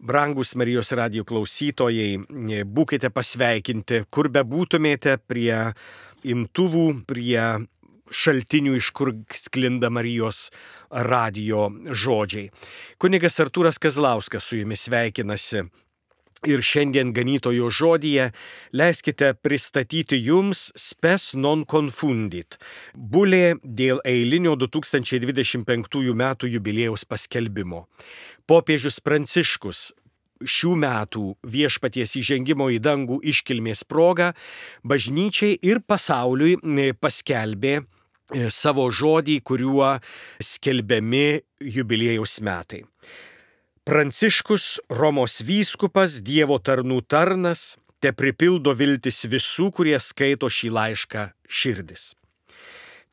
Brangus Marijos radijo klausytojai, būkite pasveikinti, kur bebūtumėte, prie imtuvų, prie šaltinių, iš kur sklinda Marijos radijo žodžiai. Kunigas Artūras Kazlauskas su jumis sveikinasi. Ir šiandien ganytojo žodyje leiskite pristatyti jums spes non confundit, bulė dėl eilinio 2025 metų jubiliejaus paskelbimo. Popiežius Pranciškus šių metų Viešpaties įžengimo į dangų iškilmės proga bažnyčiai ir pasauliui paskelbė savo žodį, kuriuo skelbiami jubiliejaus metai. Pranciškus, Romos vyskupas, Dievo tarnų tarnas, te pripildo viltis visų, kurie skaito šį laišką širdis.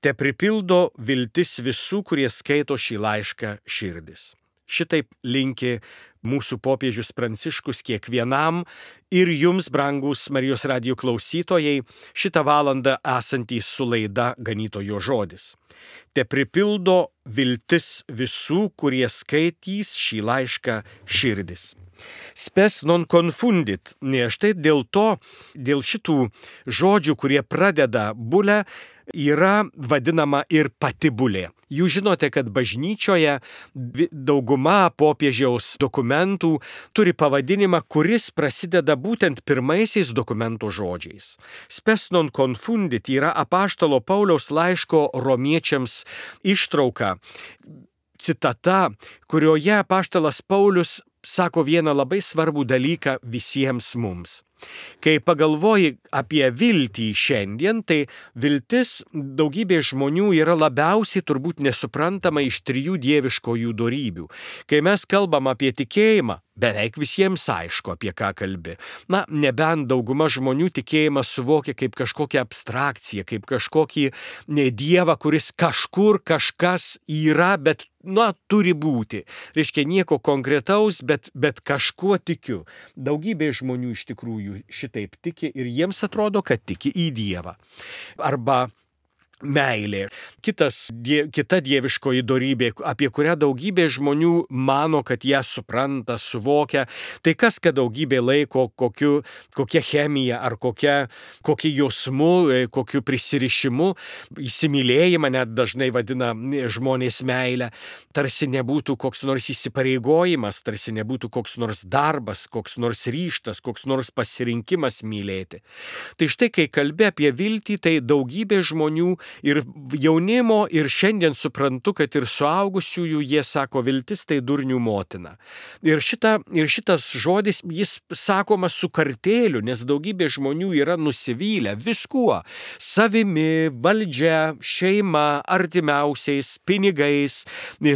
Te pripildo viltis visų, kurie skaito šį laišką širdis. Šitaip linki mūsų popiežius Pranciškus kiekvienam ir jums, brangus Marijos radijo klausytojai, šitą valandą esantys su laida Ganytojo žodis. Te pripildo viltis visų, kurie skaitys šį laišką širdis. Spes non confundit. Štai dėl šitų žodžių, kurie pradeda bulę, yra vadinama ir pati bulė. Jūs žinote, kad bažnyčioje dauguma popiežiaus dokumentų turi pavadinimą, kuris prasideda būtent pirmaisiais dokumento žodžiais. Spes non confundit yra apaštalo Pauliaus laiško romiečiams ištrauka, citata, kurioje apaštalas Paulius sako vieną labai svarbų dalyką visiems mums. Kai pagalvoji apie viltį šiandien, tai viltis daugybė žmonių yra labiausiai turbūt nesuprantama iš trijų dieviškojų dorybių. Kai mes kalbam apie tikėjimą, beveik visiems aišku, apie ką kalbi. Nebent dauguma žmonių tikėjimą suvokia kaip kažkokią abstrakciją, kaip kažkokį dievą, kuris kažkur kažkas yra, bet turi būti. Reiškia nieko konkretaus, bet kažkuo tikiu. Daugybė žmonių iš tikrųjų šitaip tiki ir jiems atrodo, kad tiki į Dievą. Arba meilė. Kita dieviškoji dorybė, apie kurią daugybė žmonių mano, kad ją supranta, suvokia. Tai kas, kad daugybė laiko kokia chemija ar kokiu jausmu, kokiu prisirišimu, įsimylėjimą net dažnai vadina žmonės meilę. Tarsi nebūtų koks nors įsipareigojimas, tarsi nebūtų koks nors darbas, koks nors ryžtas, koks nors pasirinkimas mylėti. Tai štai, kai kalbi apie viltį, tai daugybė žmonių ir jaunimo, ir šiandien suprantu, kad ir suaugusiųjų jie sako, viltis tai durnių motina. Ir šitas žodis, jis sakomas su kartėliu, nes daugybė žmonių yra nusivylę viskuo. Savimi, valdžia, šeima, artimiausiais, pinigais,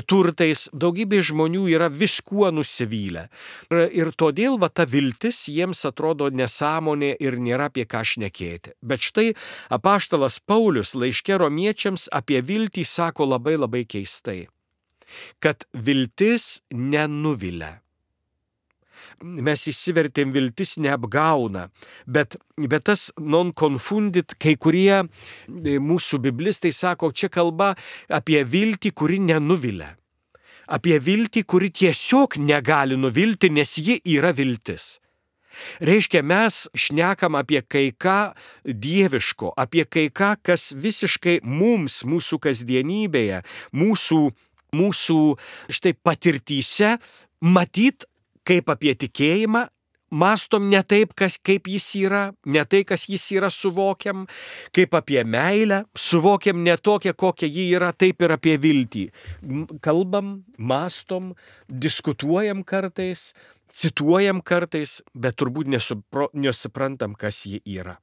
turtais. Daugybė žmonių yra viskuo nusivylę. Ir todėl ta viltis jiems atrodo nesąmonė ir nėra apie ką šnekėti. Bet štai apaštalas Paulius laiške romiečiams apie viltį sako labai labai keistai, kad viltis nenuvilia. Mes išsivertėm viltis neapgauna, bet tas non confundit, kai kurie mūsų biblistai sako, čia kalba apie viltį, kuri nenuvilia. Apie viltį, kuri tiesiog negali nuvilti, nes ji yra viltis. Reiškia, mes šnekam apie kai ką dieviško, apie kai ką, kas visiškai mums, mūsų kasdienybėje, mūsų štai patirtyse, matyt, kaip apie tikėjimą, mastom ne taip, kaip jis yra, ne tai, kas jis yra, suvokiam, kaip apie meilę, suvokiam ne tokią, kokia ji yra, taip ir apie viltį. Kalbam, mastom, diskutuojam kartais, cituojam kartais, bet turbūt nesuprantam, kas ji yra.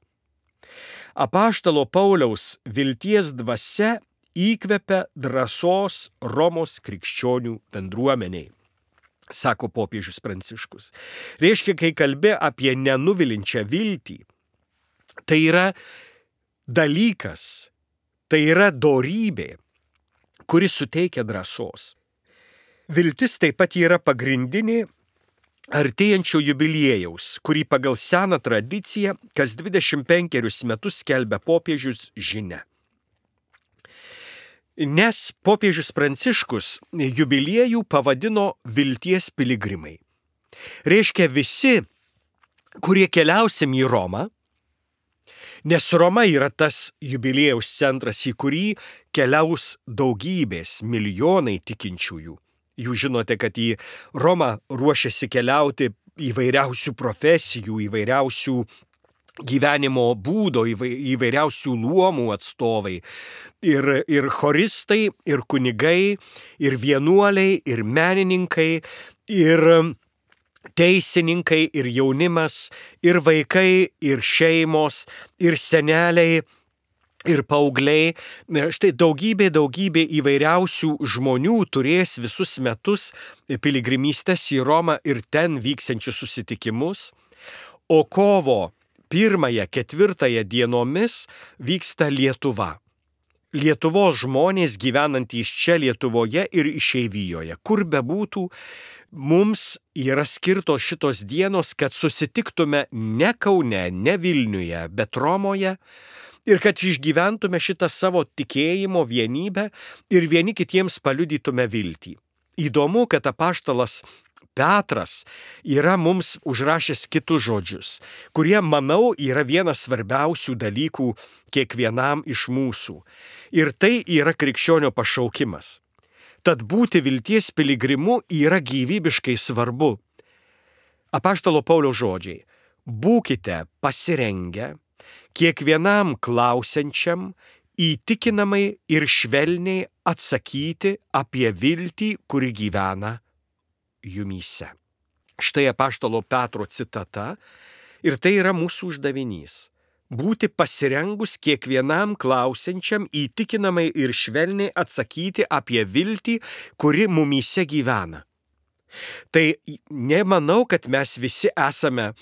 Apaštalo Pauliaus vilties dvasia įkvepia drąsos Romos krikščionių bendruomeniai, sako popiežius Pranciškus. Reiškia, kai kalbė apie nenuvilinčią viltį, tai yra dalykas, tai yra dorybė, kuri suteikia drąsos. Viltis taip pat yra pagrindinė artėjančio jubiliejaus, kurį pagal seną tradiciją kas 25 metus skelbia popiežius žinia. Nes popiežius Pranciškus jubiliejų pavadino vilties piligrimai. Reiškia visi, kurie keliausim į Romą, nes Roma yra tas jubiliejaus centras, į kurį keliaus daugybės, milijonai tikinčiųjų. Jūs žinote, kad į Romą ruošiasi keliauti įvairiausių profesijų, įvairiausių gyvenimo būdo, įvairiausių luomų atstovai. Ir choristai, ir kunigai, ir vienuoliai, ir menininkai, ir teisininkai, ir jaunimas, ir vaikai, ir šeimos, ir seneliai, ir paaugliai. Štai daugybė įvairiausių žmonių turės visus metus piligrimystės į Romą ir ten vyksiančius susitikimus. O kovo 1-4 dienomis vyksta Lietuva. Lietuvos žmonės gyvenantys čia Lietuvoje ir išeivijoje, kur bebūtų, mums yra skirtos šitos dienos, kad susitiktume ne Kaune, ne Vilniuje, bet Romoje ir kad išgyventume šitą savo tikėjimo vienybę ir vieni kitiems paliudytume viltį. Įdomu, kad apaštalas Petras yra mums užrašęs kitus žodžius, kurie, manau, yra vienas svarbiausių dalykų kiekvienam iš mūsų. Ir tai yra krikščionio pašaukimas. Tad būti vilties piligrimu yra gyvybiškai svarbu. Apaštalo Pauliaus žodžiai: būkite pasirengę kiekvienam klausiančiam įtikinamai ir švelniai atsakyti apie viltį, kuri gyvena jumyse. Štai apaštalo Petro citata ir tai yra mūsų uždavinys. Būti pasirengus kiekvienam klausiančiam įtikinamai ir švelniai atsakyti apie viltį, kuri mumyse gyvena. Tai nemanau, kad mes visi esame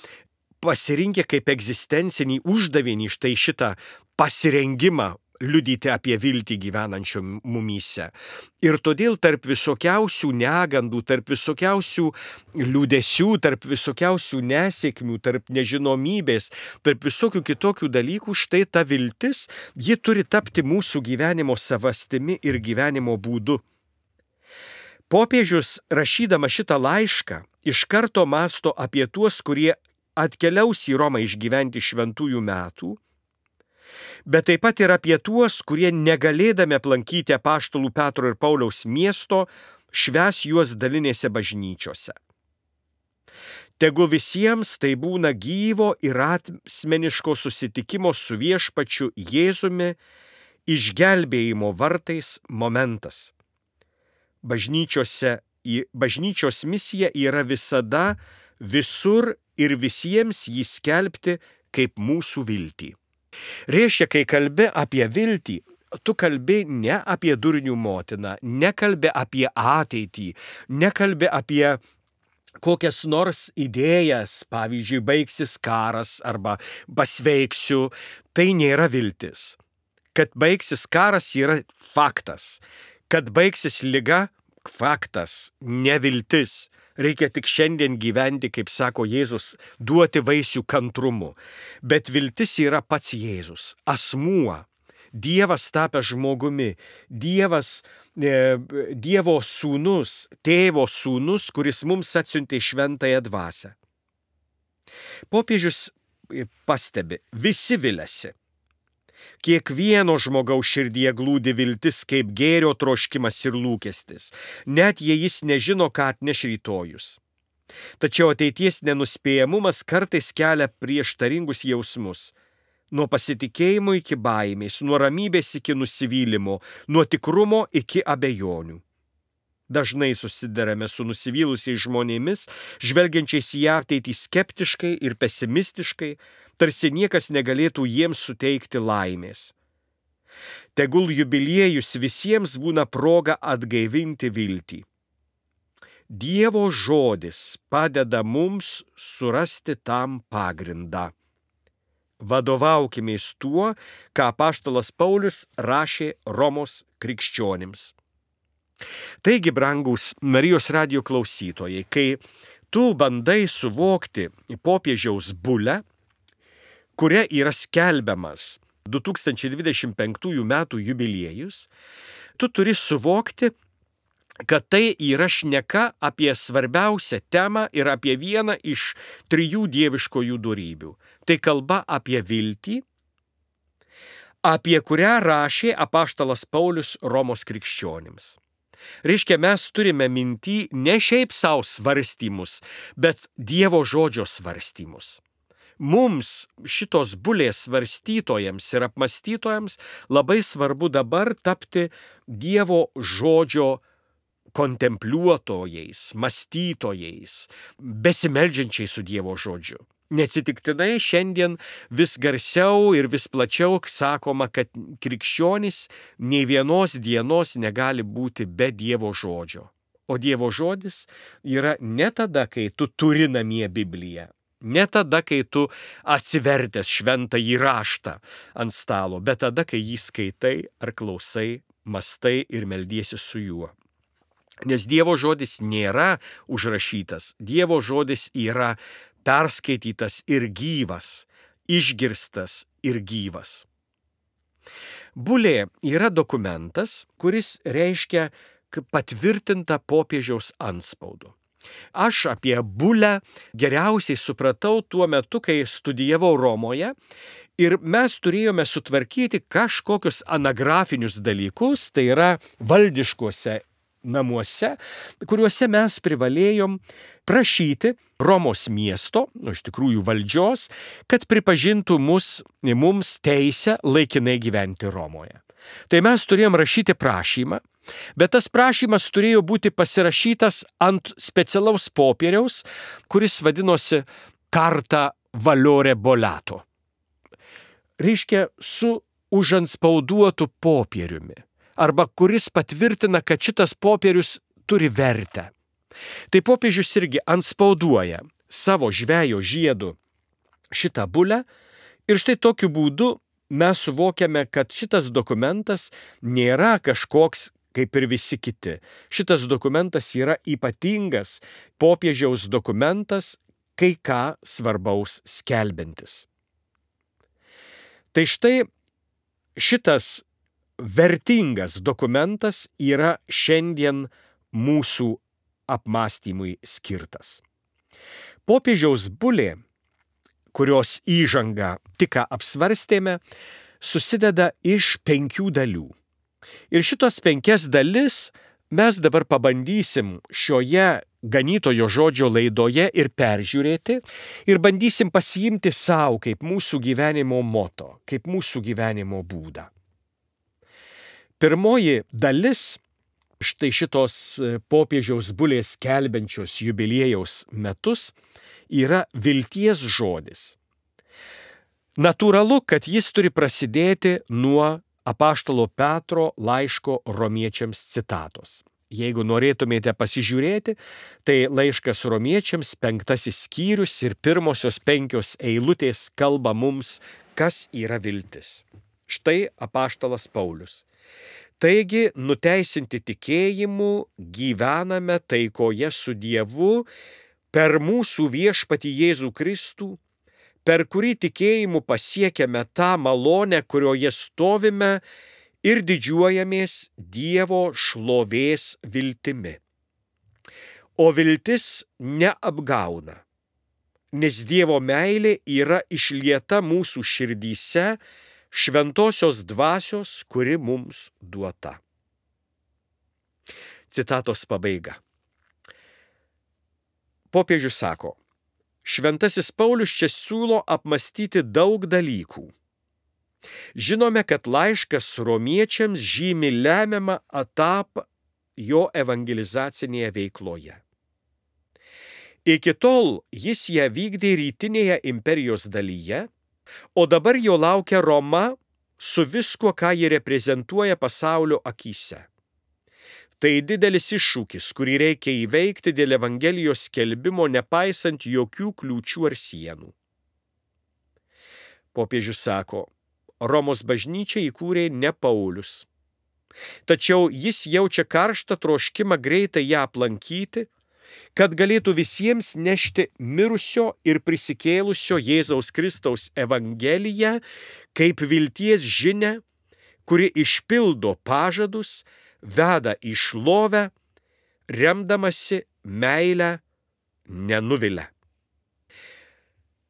pasirinkę kaip egzistencinį uždavinį štai šitą pasirengimą liudyti apie viltį gyvenančių mumyse. Ir todėl tarp visokiausių negandų, tarp visokiausių liūdesių, tarp visokiausių nesėkmių, tarp nežinomybės, tarp visokių kitokių dalykų, štai ta viltis, ji turi tapti mūsų gyvenimo savastimi ir gyvenimo būdu. Popiežius, rašydama šitą laišką, iš karto mąsto apie tuos, kurie atkeliaus į Romą išgyventi šventųjų metų, bet taip pat ir apie tuos, kurie negalėdami aplankyti apaštalų Petro ir Pauliaus miesto, švęs juos dalinėse bažnyčiose. Tegu visiems tai būna gyvo ir asmeniško susitikimo su viešpačiu Jėzumi išgelbėjimo vartais momentas. Bažnyčios misija yra visada, visur ir visiems jį skelbti kaip mūsų viltį. Reiškia, kai kalbi apie viltį, tu kalbi ne apie durnių motiną, nekalbi apie ateitį, nekalbi apie kokias nors idėjas, pavyzdžiui, baigsis karas arba pasveiksiu, tai nėra viltis. Kad baigsis karas yra faktas, kad baigsis liga faktas, neviltis. Reikia tik šiandien gyventi, kaip sako Jėzus, duoti vaisių kantrumu. Bet viltis yra pats Jėzus, asmuo, Dievas tapęs žmogumi, Dievo sūnus, tėvo sūnus, kuris mums atsiuntė šventąją dvasią. Popiežius pastebi, visi viliasi. Kiekvieno žmogaus širdyje glūdi viltis kaip gėrio troškimas ir lūkestis, net jei jis nežino, ką atneš rytojus. Tačiau ateities nenuspėjamumas kartais kelia prieštaringus jausmus. Nuo pasitikėjimo iki baimės, nuo ramybės iki nusivylimo, nuo tikrumo iki abejonių. Dažnai susidarame su nusivylusiais žmonėmis, žvelgiančiais į ateitį skeptiškai ir pesimistiškai, tarsi niekas negalėtų jiems suteikti laimės. Tegul jubiliejus visiems būna proga atgaivinti viltį. Dievo žodis padeda mums surasti tam pagrindą. Vadovaukimės tuo, ką apaštalas Paulius rašė Romos krikščionims. Taigi, brangūs Marijos radijo klausytojai, kai tu bandai suvokti popiežiaus bulę, kuria yra skelbiamas 2025 metų jubiliejus, tu turi suvokti, kad tai yra šneka apie svarbiausią temą ir apie vieną iš 3 dieviškojų dorybių. Tai kalba apie viltį, apie kurią rašė apaštalas Paulius Romos krikščionims. Reiškia, mes turime minty ne šiaip savo svarstymus, bet Dievo žodžio svarstymus. Mums šitos bulės svarstytojams ir apmastytojams labai svarbu dabar tapti Dievo žodžio kontempliuotojais, mąstytojais, besimeldžiančiais su Dievo žodžiu. Neatsitiktinai šiandien vis garsiau ir vis plačiau sakoma, kad krikščionys nei vienos dienos negali būti be Dievo žodžio. O Dievo žodis yra ne tada, kai tu turi namie Bibliją, ne tada, kai tu atsivertęs šventąjį raštą ant stalo, bet tada, kai jį skaitai ar klausai, mąstai ir meldiesi su juo. Nes Dievo žodis nėra užrašytas, Dievo žodis yra perskaitytas ir gyvas, išgirstas ir gyvas. Bulė yra dokumentas, kuris reiškia patvirtinta popiežiaus antspaudu. Aš apie bulę geriausiai supratau tuo metu, kai studijavau Romoje ir mes turėjome sutvarkyti kažkokius anagrafinius dalykus, tai yra valdiškuose namuose, kuriuose mes privalėjom prašyti Romos miesto, iš tikrųjų valdžios, kad pripažintų mums teisę laikinai gyventi Romoje. Tai mes turėjom rašyti prašymą, bet tas prašymas turėjo būti pasirašytas ant specialaus popieriaus, kuris vadinosi Carta Valore Bollato. Reiškia, su užantspauduotu popieriumi, arba kuris patvirtina, kad šitas popierius turi vertę. Tai popiežius irgi antspauduoja savo žvejo žiedu šitą bulę ir štai tokiu būdu mes suvokiame, kad šitas dokumentas nėra kažkoks kaip ir visi kiti. Šitas dokumentas yra ypatingas popiežiaus dokumentas, kai ką svarbaus skelbiantis. Tai štai šitas vertingas dokumentas yra šiandien mūsų apmąstymui skirtas. Popiežiaus bulė, kurios įžangą tik ką apsvarstėme, susideda iš 5 dalių. Ir šitos 5 dalis mes dabar pabandysim šioje ganytojo žodžio laidoje ir peržiūrėti ir bandysim pasiimti savo kaip mūsų gyvenimo moto, kaip mūsų gyvenimo būdą. Pirmoji dalis, štai šitos popiežiaus bulės skelbiančios jubiliejaus metus, yra vilties žodis. Natūralu, kad jis turi prasidėti nuo apaštalo Petro laiško romiečiams citatos. Jeigu norėtumėte pasižiūrėti, tai laiškas romiečiams 5 skyrius ir pirmosios 5 eilutės kalba mums, kas yra viltis. Štai apaštalas Paulius. Taigi, nuteisinti tikėjimu, gyvename taikoje su Dievu per mūsų viešpatį Jėzų Kristų, per kurį tikėjimu pasiekėme tą malonę, kurioje stovime ir didžiuojamės Dievo šlovės viltimi. O viltis neapgauna, nes Dievo meilė yra išlieta mūsų širdyse šventosios dvasios, kuri mums duota. Citatos pabaiga. Popiežius sako, šventasis Paulius čia siūlo apmąstyti daug dalykų. Žinome, kad laiškas romiečiams žymi lemiamą etapą jo evangelizacinėje veikloje. Iki tol jis ją vykdė rytinėje imperijos dalyje, o dabar jo laukia Roma su viskuo, ką ji reprezentuoja pasaulio akyse. Tai didelis iššūkis, kurį reikia įveikti dėl Evangelijos skelbimo, nepaisant jokių kliūčių ar sienų. Popiežius sako, Romos bažnyčią įkūrė ne Paulius. Tačiau jis jaučia karštą troškimą greitai ją aplankyti, kad galėtų visiems nešti mirusio ir prisikėlusio Jėzaus Kristaus Evangeliją kaip vilties žinią, kuri išpildo pažadus, veda į šlovę remdamasi meilę nenuvilia.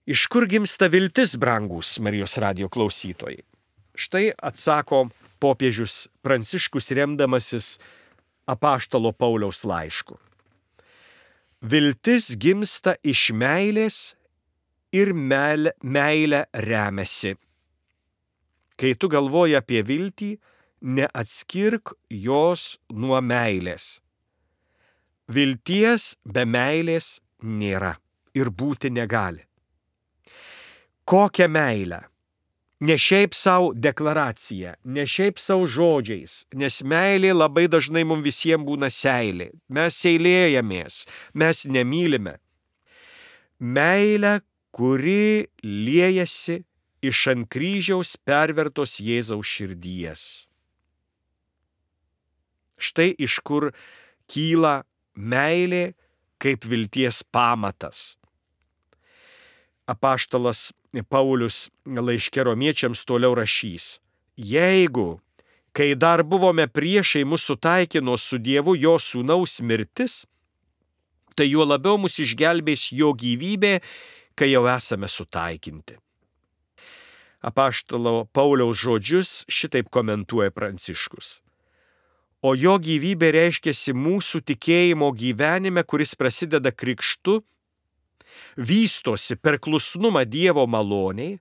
Iš kur gimsta viltis, brangūs Marijos radijo klausytojai? Štai atsako popiežius Pranciškus remdamasis apaštalo Pauliaus laišku. Viltis gimsta iš meilės ir meilė remiasi. Kai tu galvoji apie viltį, neatskirk jos nuo meilės. Vilties be meilės nėra ir būti negali. Kokią meilę? Ne šiaip savo deklaracija, ne šiaip savo žodžiais, nes meilė labai dažnai mums visiems būna seilė. Mes seilėjamės, mes nemylime. Meilę, kuri liejasi iš ant kryžiaus pervertos Jėzaus širdies. Štai iš kur kyla meilė kaip vilties pamatas. Apaštalas Paulius laiške Romiečiams toliau rašys: jeigu, kai dar buvome priešai, mus sutaikino su Dievu jo sūnaus mirtis, tai juo labiau mus išgelbės jo gyvybė, kai jau esame sutaikinti. Apaštalo Pauliaus žodžius šitaip komentuoja Pranciškus. O jo gyvybė reiškiasi mūsų tikėjimo gyvenime, kuris prasideda krikštu, vystosi per klusnumą Dievo maloniai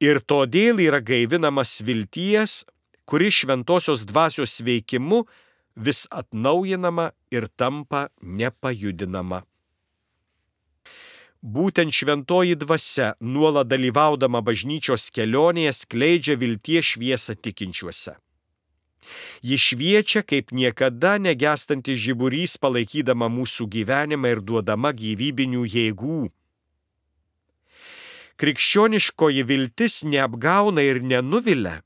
ir todėl yra gaivinamas vilties, kuri šventosios dvasios veikimu vis atnaujinama ir tampa nepajudinama. Būtent šventoji dvasia, nuolat dalyvaudama bažnyčios kelionėje, skleidžia vilties šviesą tikinčiuose. Ji šviečia kaip niekada negęstantis žiburys, palaikydama mūsų gyvenimą ir duodama gyvybinių jėgų. Krikščioniškoji viltis neapgauna ir nenuvilia,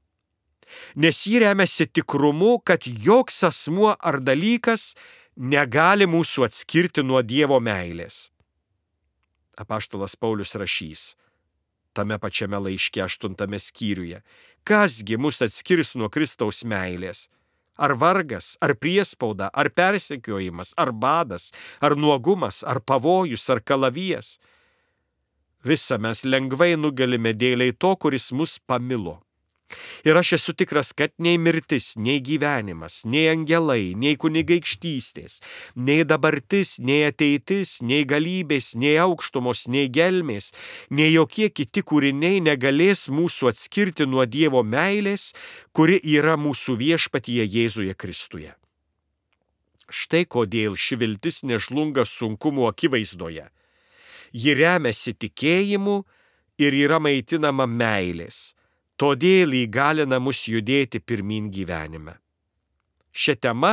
nes ji remiasi tikrumu, kad joks asmuo ar dalykas negali mūsų atskirti nuo Dievo meilės. Apaštalas Paulius rašys tame pačiame laiške 8 skyriuje: kasgi mus atskirs nuo Kristaus meilės? Ar vargas, ar priespauda, ar persekiojimas, ar badas, ar nuogumas, ar pavojus, ar kalavijas? Visa mes lengvai nugalime dėliai to, kuris mus pamilo. Ir aš esu tikras, kad nei mirtis, nei gyvenimas, nei angelai, nei kunigaikštystės, nei dabartis, nei ateitis, nei galybės, nei aukštumos, nei gelmės, nei jokie kiti kūriniai negalės mūsų atskirti nuo Dievo meilės, kuri yra mūsų viešpatyje Jėzuje Kristuje. Štai kodėl ši viltis nežlunga sunkumų akivaizdoje. Ji remiasi tikėjimu ir yra maitinama meilės. Todėl įgalina mus judėti pirmyn gyvenime. Šią temą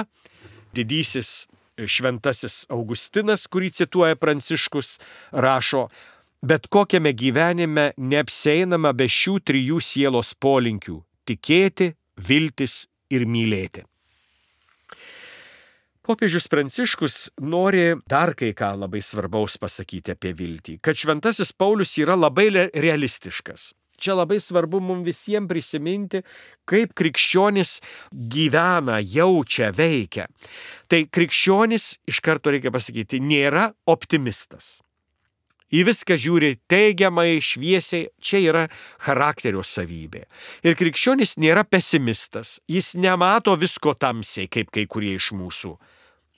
didysis šventasis Augustinas, kurį cituoja Pranciškus, rašo: bet kokiame gyvenime neapsieinama be šių trijų sielos polinkių – tikėti, viltis ir mylėti. Popiežius Pranciškus nori dar kai ką labai svarbaus pasakyti apie viltį, kad šventasis Paulius yra labai realistiškas. Čia labai svarbu mums visiems prisiminti, kaip krikščionis gyvena, jaučia, veikia. Tai krikščionis, iš karto reikia pasakyti, nėra optimistas. Į viską žiūri teigiamai, šviesiai, čia yra charakterio savybė. Ir krikščionis nėra pesimistas, jis nemato visko tamsiai, kaip kai kurie iš mūsų.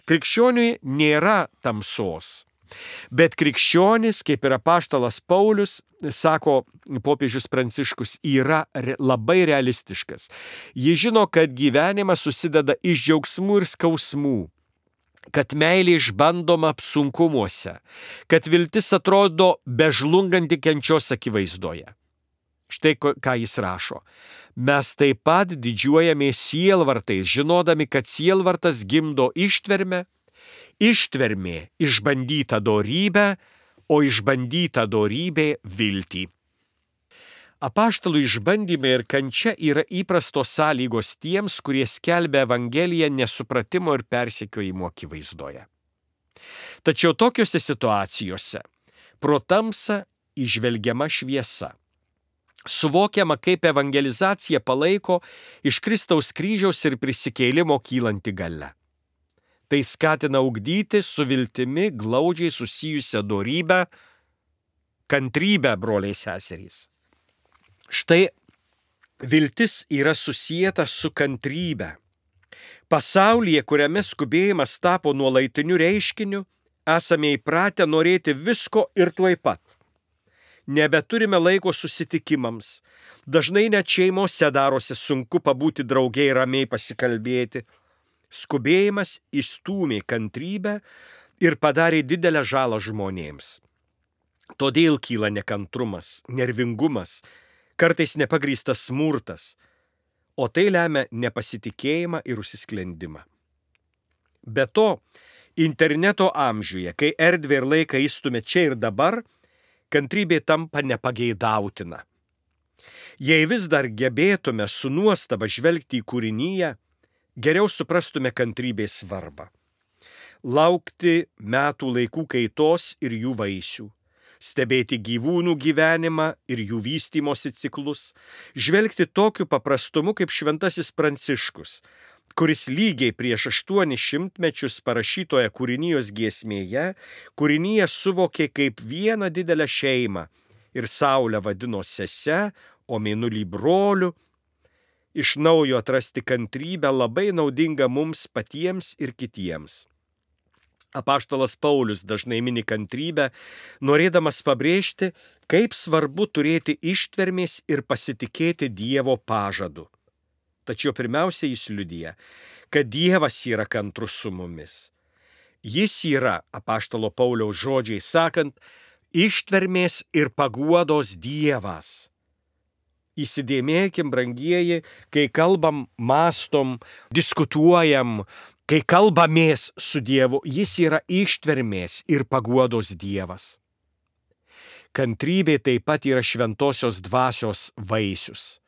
Krikščioniui nėra tamsos. Bet krikščionis, kaip ir apaštalas Paulius, sako popiežius Pranciškus, yra labai realistiškas. Jis žino, kad gyvenimas susideda iš džiaugsmų ir skausmų, kad meilė išbandoma sunkumuose, kad viltis atrodo bežlunganti kančios akivaizdoje. Štai ką jis rašo. Mes taip pat didžiuojamės sielvartais, žinodami, kad sielvartas gimdo ištvermę, ištvermė išbandyta dorybę, o išbandyta dorybė viltį. Apaštalų išbandymai ir kančia yra įprastos sąlygos tiems, kurie skelbia Evangeliją nesupratimo ir persekiojimo akivaizdoje. Tačiau tokiose situacijose pro tamsą įžvelgiama šviesa. Suvokiama, kaip evangelizacija palaiko iš Kristaus kryžiaus ir prisikėlimo kylanti galia. Tai skatina ugdyti su viltimi glaudžiai susijusią dorybę, kantrybę, broliai seserys. Štai viltis yra susijęta su kantrybe. Pasaulyje, kuriame skubėjimas tapo nuolaidiniu reiškiniu, esame įpratę norėti visko ir tuoj pat. Nebeturime laiko susitikimams. Dažnai net šeimose darosi sunku pabūti draugiai ramiai pasikalbėti. Skubėjimas įstūmė kantrybę ir padarė didelę žalą žmonėms. Todėl kyla nekantrumas, nervingumas, kartais nepagrįstas smurtas, o tai lemia nepasitikėjimą ir užsisklendimą. Be to, interneto amžiuje, kai erdvę ir laiką įstumia čia ir dabar, kantrybė tampa nepageidautina. Jei vis dar gebėtume su nuostaba žvelgti į kūriniją, geriau suprastume kantrybės svarbą. Laukti metų laikų kaitos ir jų vaisių, stebėti gyvūnų gyvenimą ir jų vystymosi ciklus, žvelgti tokiu paprastumu kaip Šventasis Pranciškus, kuris lygiai prieš 800 mečius parašytoje kūrinijos giesmėje kūriniją suvokė kaip vieną didelę šeimą ir Saulę vadino sese, o Mėnulį broliu. Iš naujo atrasti kantrybę labai naudinga mums patiems ir kitiems. Apaštalas Paulius dažnai mini kantrybę, norėdamas pabrėžti, kaip svarbu turėti ištvermės ir pasitikėti Dievo pažadu. Tačiau pirmiausia jis liudija, kad Dievas yra kantrus su mumis. Jis yra, apaštalo Pauliaus žodžiai sakant, ištvermės ir paguodos Dievas. Įsidėmėkim, brangieji, kai kalbam, mąstom, diskutuojam, kai kalbamės su Dievu, jis yra ištvermės ir paguodos Dievas. Kantrybė taip pat yra šventosios dvasios vaisius.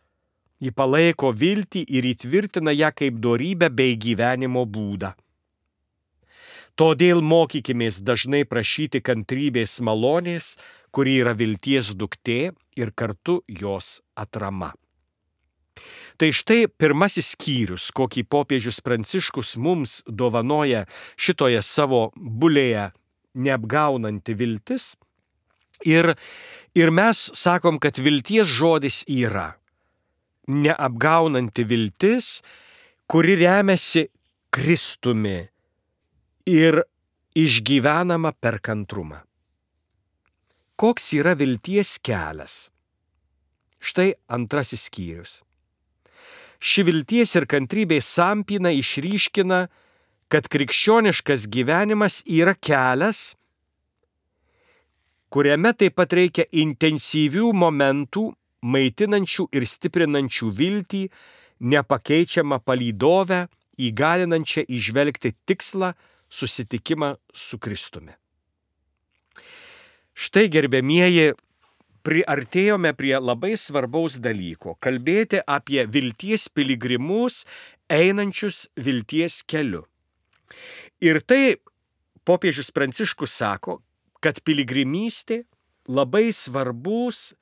Ji palaiko viltį ir įtvirtina ją kaip dorybę bei gyvenimo būdą. Todėl mokykimės dažnai prašyti kantrybės malonės, kuri yra vilties duktė ir kartu jos atrama. Tai štai pirmasis skyrius, kokį popiežius Pranciškus mums dovanoja šitoje savo bulėje neapgaunanti viltis. Ir mes sakom, kad vilties žodis yra neapgaunanti viltis, kuri remiasi Kristumi ir išgyvenama per kantrumą. Koks yra vilties kelias? Štai antrasis skyrius. Ši vilties ir kantrybės sampyna išryškina, kad krikščioniškas gyvenimas yra kelias, kuriame taip pat reikia intensyvių momentų, maitinančių ir stiprinančių viltį, nepakeičiamą palydovę, įgalinančią įžvelgti tikslą, susitikimą su Kristumi. Štai, gerbiamieji, priartėjome prie labai svarbaus dalyko – kalbėti apie vilties piligrimus, einančius vilties keliu. Ir tai popiežius Pranciškus sako, kad piligrimystė labai svarbus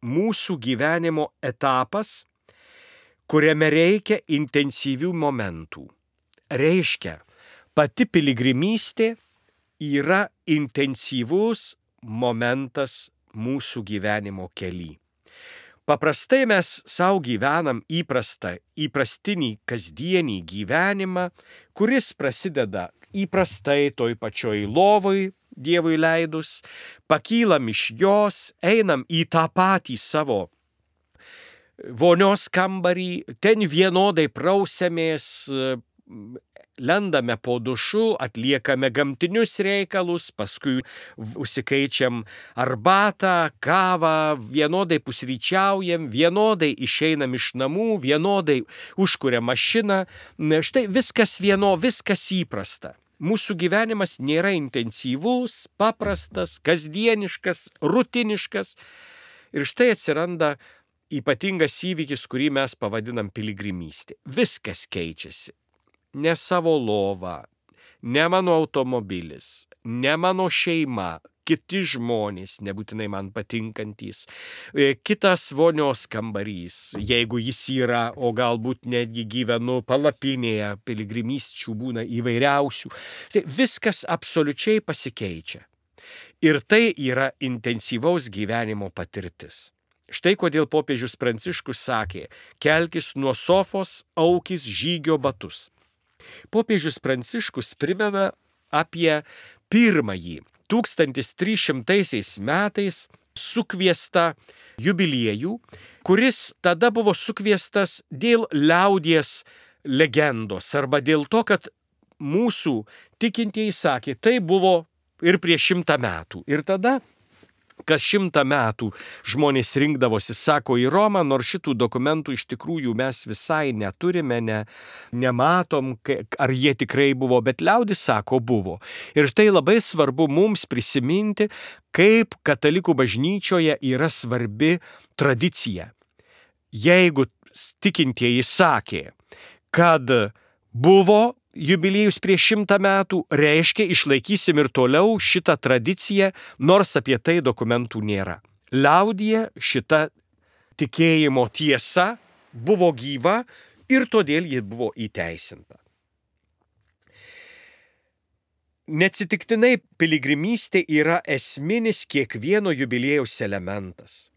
mūsų gyvenimo etapas, kuriame reikia intensyvių momentų. Reiškia, pati piligrimystė yra intensyvus momentas mūsų gyvenimo kely. Paprastai mes savo gyvenam įprastinį kasdienį gyvenimą, kuris prasideda įprastai toj pačioj lovoj, Dievui leidus, pakylam iš jos, einam į tą patį savo vonios kambarį, ten vienodai prausiamės, lendame po dušu, atliekame gamtinius reikalus, paskui užsikaičiam arbatą, kavą, vienodai pusryčiaujam, vienodai išeinam iš namų, vienodai užkuriam mašiną. Štai viskas viskas įprasta. Mūsų gyvenimas nėra intensyvus, paprastas, kasdieniškas, rutiniškas. Ir štai atsiranda ypatingas įvykis, kurį mes pavadinam piligrimystė. Viskas keičiasi. Ne savo lova, ne mano automobilis, ne mano šeima, kiti žmonės, nebūtinai man patinkantys, kitas vonios kambarys, jeigu jis yra, o galbūt netgi gyvenu palapinėje, piligrimysčių būna įvairiausių. Tai viskas absoliučiai pasikeičia. Ir tai yra intensyvaus gyvenimo patirtis. Štai kodėl popiežius Pranciškus sakė, kelkis nuo sofos, aukis žygio batus. Popiežius Pranciškus primena apie pirmąjį 1300 metais sukviestą jubiliejų, kuris tada buvo sukviestas dėl liaudies legendos arba dėl to, kad mūsų tikintieji sakė, tai buvo ir prieš 100 metų. Ir tada, kas 100 metų žmonės rinkdavosi, sako, į Romą, nors šitų dokumentų iš tikrųjų mes visai neturime, nematom, ar jie tikrai buvo, bet liaudis sako, buvo. Ir tai labai svarbu mums prisiminti, kaip katalikų bažnyčioje yra svarbi tradicija. Jeigu tikintieji sakė, kad buvo jubiliejus prieš 100 metų, reiškia, išlaikysim ir toliau šitą tradiciją, nors apie tai dokumentų nėra. Liaudyje šita tikėjimo tiesa buvo gyva ir todėl ji buvo įteisinta. Neatsitiktinai piligrimystė yra esminis kiekvieno jubiliejaus elementas.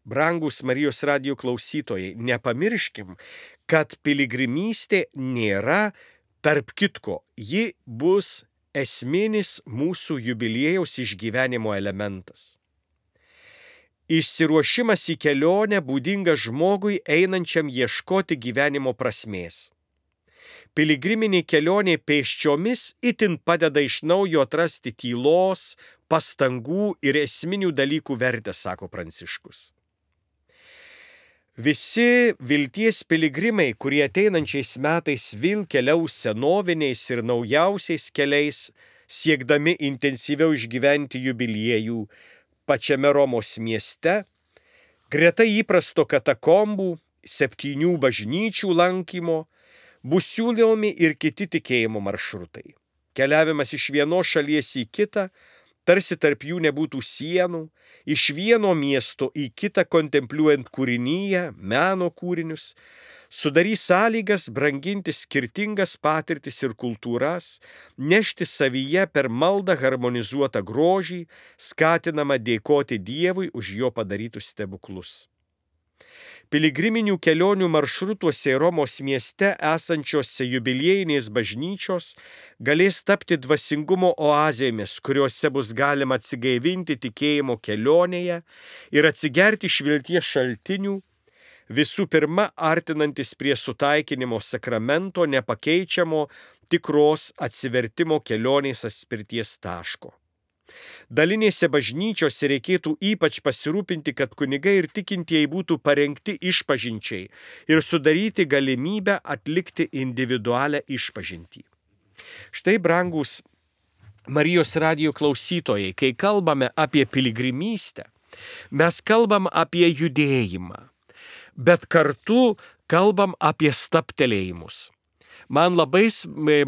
Brangus Marijos radijo klausytojai, nepamirškim, kad piligrimystė nėra tarp kitko, ji bus esminis mūsų jubiliejaus išgyvenimo elementas. Išsiruošimas į kelionę būdingas žmogui einančiam ieškoti gyvenimo prasmės. Piligriminė kelionė pėsčiomis itin padeda iš naujo atrasti tylos, pastangų ir esminių dalykų vertę, sako Pranciškus. Visi vilties piligrimai, kurie ateinančiais metais vėl keliaus senoviniais ir naujausiais keliais, siekdami intensyviau išgyventi jubiliejų pačiame Romos mieste, greta įprasto katakombų, 7 bažnyčių lankymo, bus siūlomi ir kiti tikėjimo maršrutai. Keliavimas iš vienos šalies į kitą, tarsi tarp jų nebūtų sienų, iš vieno miesto į kitą kontempliuojant kūrinyje, meno kūrinius, sudarys sąlygas branginti skirtingas patirtis ir kultūras, nešti savyje per maldą harmonizuotą grožį, skatinama dėkoti Dievui už jo padarytus stebuklus. Piligriminių kelionių maršrutuose Romos mieste esančiose jubiliejinės bažnyčios galės tapti dvasingumo oazėmis, kuriuose bus galima atsigaivinti tikėjimo kelionėje ir atsigerti iš vilties šaltinių, visų pirma artinantis prie sutaikinimo sakramento nepakeičiamo tikros atsivertimo kelionės atspirties taško. Dalinėse bažnyčiose reikėtų ypač pasirūpinti, kad kunigai ir tikintieji būtų parengti išpažinčiai ir sudaryti galimybę atlikti individualią išpažintį. Štai, brangus Marijos radijo klausytojai, kai kalbame apie piligrimystę, mes kalbam apie judėjimą, bet kartu kalbam apie stabtelėjimus. Man labai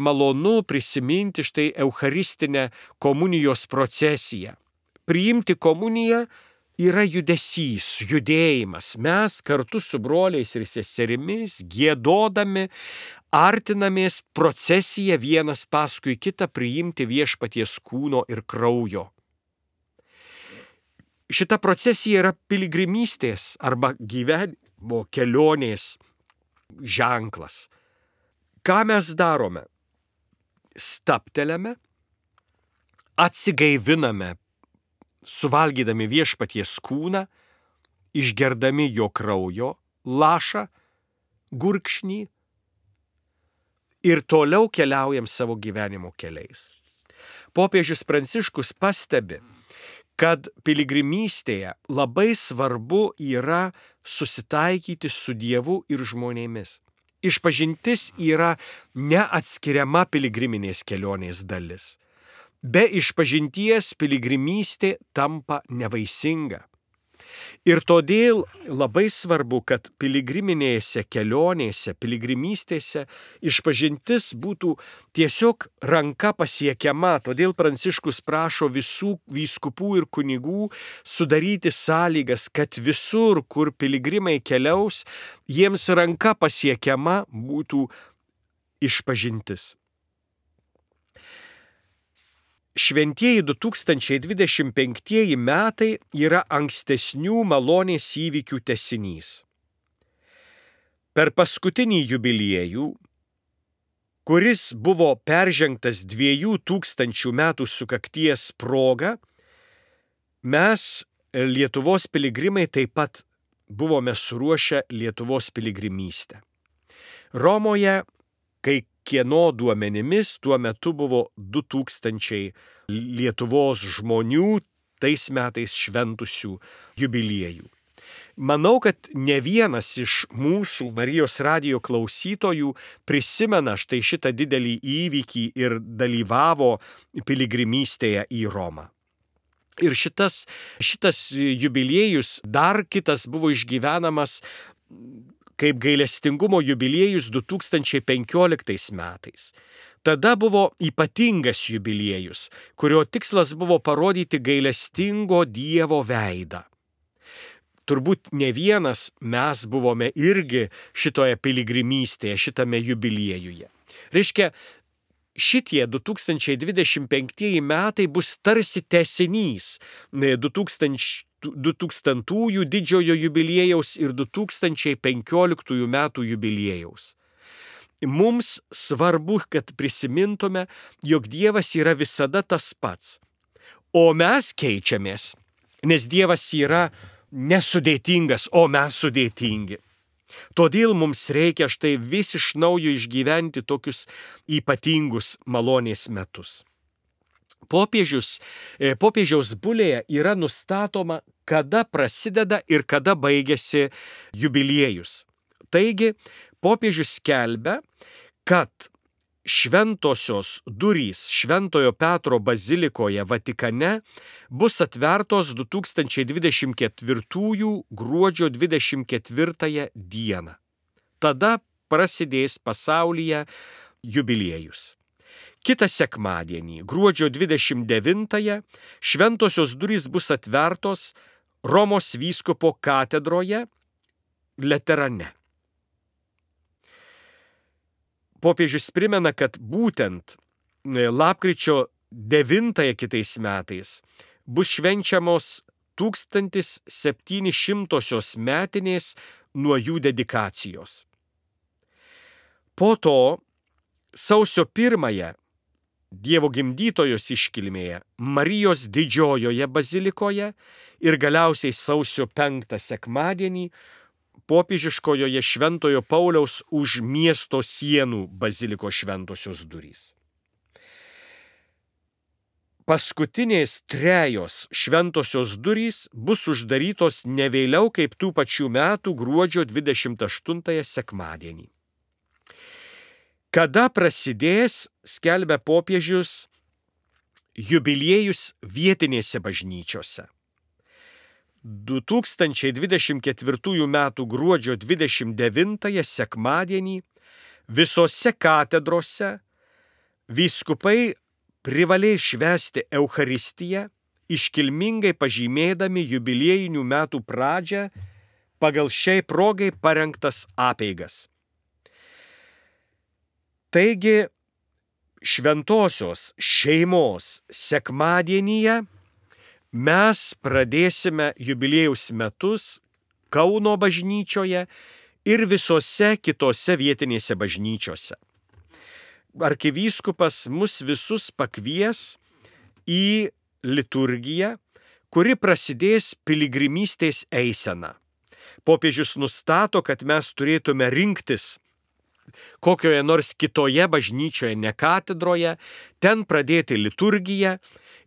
malonu prisiminti štai eucharistinę komunijos procesiją. Priimti komuniją yra judesys, judėjimas. Mes kartu su broliais ir seserimis, giedodami, artinamės procesiją vienas paskui kitą priimti viešpaties kūno ir kraujo. Šita procesija yra piligrimystės arba gyvenimo kelionės ženklas. Ką mes darome? Stabtelėme, atsigaiviname, suvalgydami viešpaties kūną, išgerdami jo kraujo lašą, gurkšnį ir toliau keliaujam savo gyvenimo keliais. Popiežius Pranciškus pastebi, kad piligrimystėje labai svarbu yra susitaikyti su Dievu ir žmonėmis. Išpažintis yra neatskiriama piligriminės kelionės dalis. Be išpažinties piligrimystė tampa nevaisinga. Ir todėl labai svarbu, kad piligriminėse kelionėse, piligrimystėse išpažintis būtų tiesiog ranka pasiekiama. Todėl Pranciškus prašo visų vyskupų ir kunigų sudaryti sąlygas, kad visur, kur piligrimai keliaus, jiems ranka pasiekiama būtų išpažintis. Šventieji 2025 metai yra ankstesnių malonės įvykių tęsinys. Per paskutinį jubiliejų, kuris buvo peržengtas 2000 metų sukakties proga, mes, Lietuvos piligrimai, taip pat buvome suruošę Lietuvos piligrimystę. Romoje, kai kieno duomenimis tuo metu buvo 2000 Lietuvos žmonių tais metais šventusių jubiliejų. Manau, kad ne vienas iš mūsų Marijos radijo klausytojų prisimena štai šitą didelį įvykį ir dalyvavo piligrimystėje į Romą. Ir šitas jubiliejus, dar kitas buvo išgyvenamas kaip gailestingumo jubiliejus 2015 metais. Tada buvo ypatingas jubiliejus, kurio tikslas buvo parodyti gailestingo Dievo veidą. Turbūt ne vienas mes buvome irgi šitoje piligrimystėje, šitame jubiliejuje. Reiškia, šitie 2025 metai bus tarsi tęsinys 2000-ųjų didžiojo jubiliejaus ir 2015 metų jubiliejaus. Mums svarbu, kad prisimintume, jog Dievas yra visada tas pats, o mes keičiamės, nes Dievas yra nesudėtingas, o mes sudėtingi. Todėl mums reikia štai vis iš naujo išgyventi tokius ypatingus malonės metus. Popiežiaus bulėje yra nustatoma, kada prasideda ir kada baigėsi jubiliejus. Taigi, popiežius skelbia, kad šventosios durys Šventojo Petro bazilikoje Vatikane bus atvertos 2024 gruodžio 24 dieną. Tada prasidės pasaulyje jubiliejus. Kitą sekmadienį, gruodžio 29, šventosios durys bus atvertos Romos vyskupo katedroje Laterane. Popiežius primena, kad būtent lapkričio 9 kitais metais bus švenčiamos 1700 metinės nuo jų dedikacijos. Po to sausio 1 Dievo gimdytojos iškilmėje Marijos didžiojoje bazilikoje ir galiausiai sausio 5 sekmadienį popiežiškojoje Šventojo Pauliaus už miesto sienų baziliko šventosios durys. Paskutinės 3 šventosios durys bus uždarytos ne vėliau kaip tų pačių metų gruodžio 28 sekmadienį. Kada prasidės, skelbia popiežius, jubiliejus vietinėse bažnyčiose. 2024 metų gruodžio 29 sekmadienį visose katedrose vyskupai privalės švęsti Eucharistiją, iškilmingai pažymėdami jubiliejinių metų pradžią pagal šiai progai parengtas apeigas. Taigi, šventosios šeimos sekmadienyje mes pradėsime jubiliejaus metus Kauno bažnyčioje ir visose kitose vietinėse bažnyčiose. Arkivyskupas mus visus pakvies į liturgiją, kuri prasidės piligrimystės eisena. Popiežius nustato, kad mes turėtume rinktis kokioje nors kitoje bažnyčioje, ne katedroje, ten pradėti liturgiją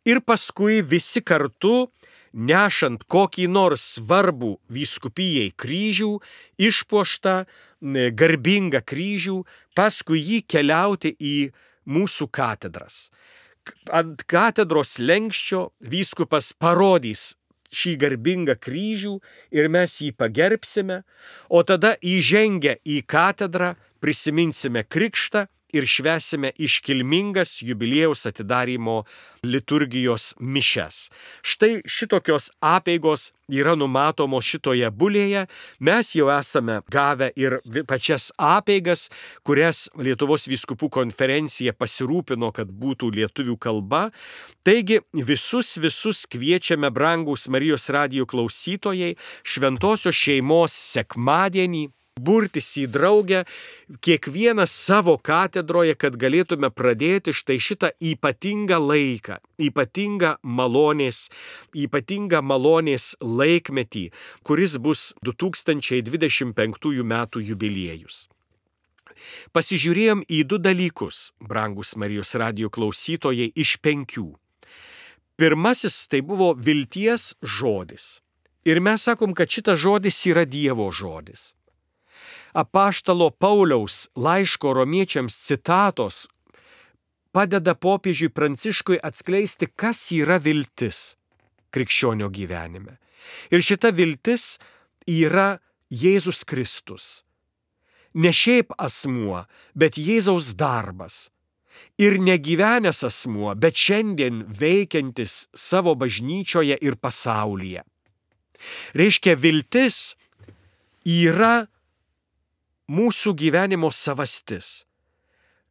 ir paskui visi kartu, nešant kokį nors svarbų vyskupijai kryžių, išpuoštą garbingą kryžių, paskui jį keliauti į mūsų katedras. Ant katedros lenkščio vyskupas parodys šį garbingą kryžių ir mes jį pagerbsime, o tada įžengę į katedrą prisiminsime krikštą ir švęsime iškilmingas jubiliejaus atidarymo liturgijos mišias. Štai šitokios apeigos yra numatomos šitoje bulėje. Mes jau esame gavę ir pačias apeigas, kurias Lietuvos vyskupų konferencija pasirūpino, kad būtų lietuvių kalba. Taigi visus kviečiame, brangūs Marijos radijo klausytojai, šventosios šeimos sekmadienį burtis į draugę, kiekvienas savo katedroje, kad galėtume pradėti štai šitą ypatingą laiką, ypatingą malonės laikmetį, kuris bus 2025 metų jubiliejus. Pasižiūrėjom į 2 dalykus, brangus Marijos radijo klausytojai, iš 5. Pirmasis tai buvo vilties žodis. Ir mes sakom, kad šitas žodis yra Dievo žodis. Apaštalo Pauliaus laiško romiečiams citatos padeda popiežiui Pranciškui atskleisti, kas yra viltis krikščionio gyvenime. Ir šita viltis yra Jėzus Kristus. Ne šiaip asmuo, bet Jėzaus darbas. Ir negyvenęs asmuo, bet šiandien veikiantis savo bažnyčioje ir pasaulyje. Reiškia, viltis yra mūsų gyvenimo savastis.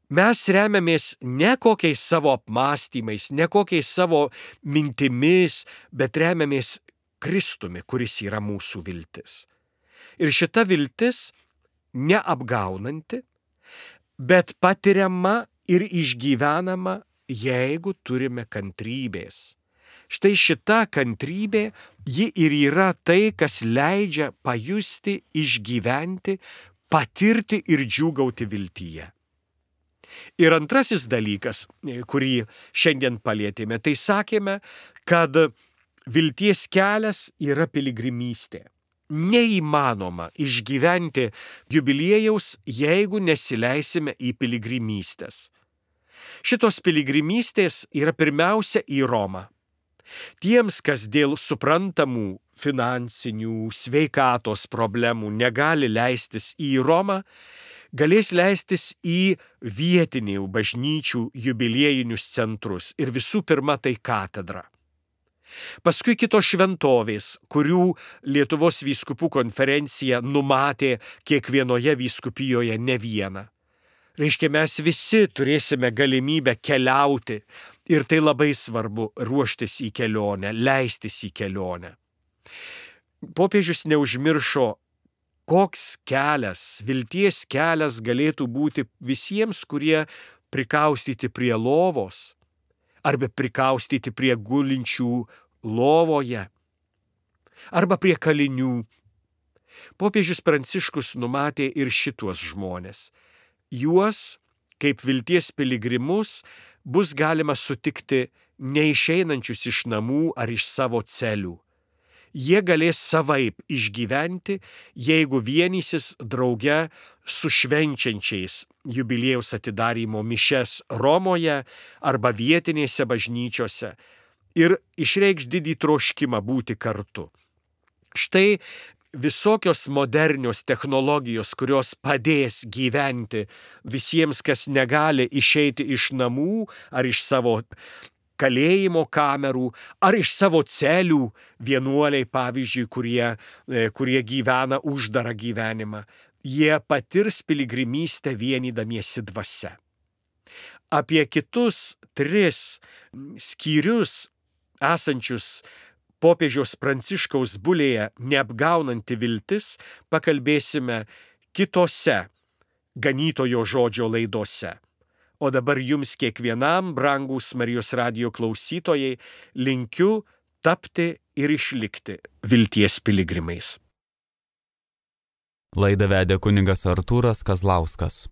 Mes remiamės ne kokiais savo apmąstymais, ne kokiais savo mintimis, bet remiamės Kristumi, kuris yra mūsų viltis. Ir šita viltis neapgaunanti, bet patiriama ir išgyvenama, jeigu turime kantrybės. Štai šita kantrybė, ji ir yra tai, kas leidžia pajusti, išgyventi, patirti ir džiūgauti viltyje. Ir antrasis dalykas, kurį šiandien palėtėme, tai sakėme, kad vilties kelias yra piligrimystė. Neįmanoma išgyventi jubiliejaus, jeigu nesileisime į piligrimystės. Šitos piligrimystės yra pirmiausia į Romą. Tiems, kas dėl suprantamų finansinių, sveikatos problemų negali leistis į Romą, galės leistis į vietinių bažnyčių jubiliejinius centrus ir visų pirma tai katedra. Paskui kitos šventovės, kurių Lietuvos vyskupų konferencija numatė kiekvienoje vyskupijoje ne vieną. Reiškia, mes visi turėsime galimybę keliauti ir tai labai svarbu ruoštis į kelionę, leistis į kelionę. Popiežius neužmiršo, koks kelias, vilties kelias galėtų būti visiems, kurie prikaustyti prie lovos arba prikaustyti prie gulinčių lovoje arba prie kalinių. Popiežius Pranciškus numatė ir šituos žmonės. Juos, kaip vilties piligrimus, bus galima sutikti neišeinančius iš namų ar iš savo celių. Jie galės savaip išgyventi, jeigu vienysis drauge su švenčiančiais jubiliejaus atidarymo mišias Romoje arba vietinėse bažnyčiose ir išreikš didį troškimą būti kartu. Štai visokios modernios technologijos, kurios padės gyventi visiems, kas negali išeiti iš namų ar iš savo kalėjimo kamerų, ar iš savo celių, vienuoliai, pavyzdžiui, kurie gyvena uždarą gyvenimą. Jie patirs piligrimystę vienydamiesi dvasia. Apie kitus 3 skyrius esančius popiežiaus Pranciškaus bulėje neapgaunanti viltis pakalbėsime kitose ganytojo žodžio laidose. O dabar jums kiekvienam, brangūs Marijos radijo klausytojai, linkiu tapti ir išlikti vilties piligrimais. Laidą vedė kunigas Artūras Kazlauskas.